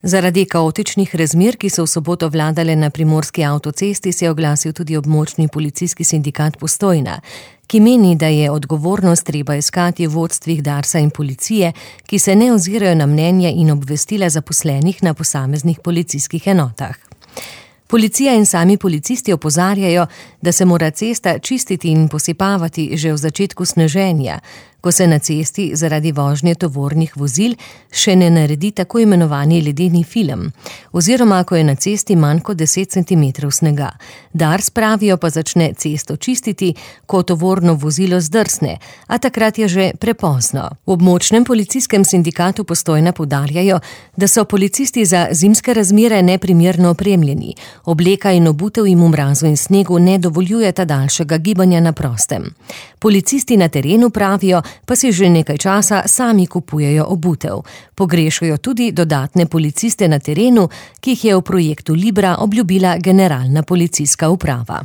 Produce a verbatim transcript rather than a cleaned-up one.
Zaradi kaotičnih razmer, ki so v soboto vladale na primorski avtocesti, se je oglasil tudi območni policijski sindikat Postojna, ki meni, da je odgovornost treba iskati v vodstvih Darsa in policije, ki se ne ozirajo na mnenje in obvestila zaposlenih na posameznih policijskih enotah. Policija in sami policisti opozarjajo, da se mora cesta čistiti in posipavati že v začetku sneženja, ko se na cesti zaradi vožnje tovornih vozil še ne naredi tako imenovani ledeni film, oziroma ko je na cesti manj kot deset centimetrov snega. Dars, pravijo, pa začne cesto čistiti, ko tovorno vozilo zdrsne, a takrat je že prepozno. V območnem policijskem sindikatu Postojna poudarjajo, da so policisti za zimske razmere neprimerno opremljeni. Obleka in obutev jim v mrazu in snegu ne dovoljujeta daljšega gibanja na prostem. Policisti na terenu, pravijo, pa si že nekaj časa sami kupujejo obutev. Pogrešajo tudi dodatne policiste na terenu, ki jih je v projektu Libra obljubila generalna policijska uprava.